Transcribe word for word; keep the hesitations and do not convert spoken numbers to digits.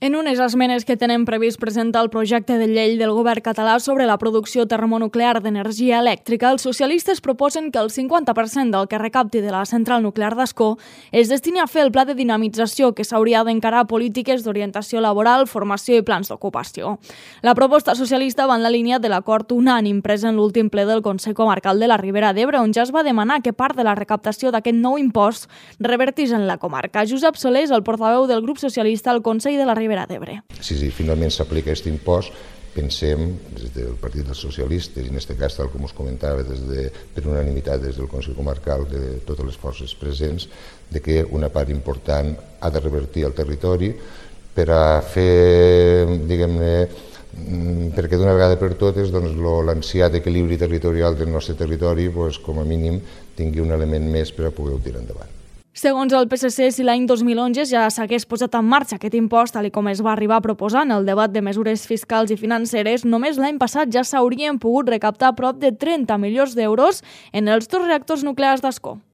En unes esmenes que tenen previst presentar el projecte de llei del govern català sobre la producció termonuclear d'energia elèctrica, els socialistes proposen que el cinquanta per cent del que recapti de la central nuclear d'Ascó es destini a fer el pla de dinamització que s'hauria d'encarar polítiques d'orientació laboral, formació i plans d'ocupació. La proposta socialista va en la línia de l'acord unànim pres en l'últim ple del Consell Comarcal de la Ribera d'Ebre, on ja es va demanar que part de la recaptació d'aquest nou impost revertís en la comarca. Josep Soler és el portaveu del grup socialista al Consell de la Ribera d'Ebre. Si, si finalment s'aplica aquest impost, pensem, des del Partit dels Socialistes, i en aquest cas, tal com us comentava, des de, per unanimitat des del Consell Comarcal de totes les forces presents, de que una part important ha de revertir al territori per a fer, diguem-ne, perquè d'una vegada per totes doncs, l'ansiat equilibri territorial del nostre territori doncs, com a mínim tingui un element més per a poder-ho tirar endavant. Segons el P S C, si l'any dos mil onze ja s'hagués posat en marxa aquest impost, tal com es va arribar a proposar en el debat de mesures fiscals i financeres, només l'any passat ja s'haurien pogut recaptar prop de trenta milions d'euros en els dos reactors nuclears d'Ascó.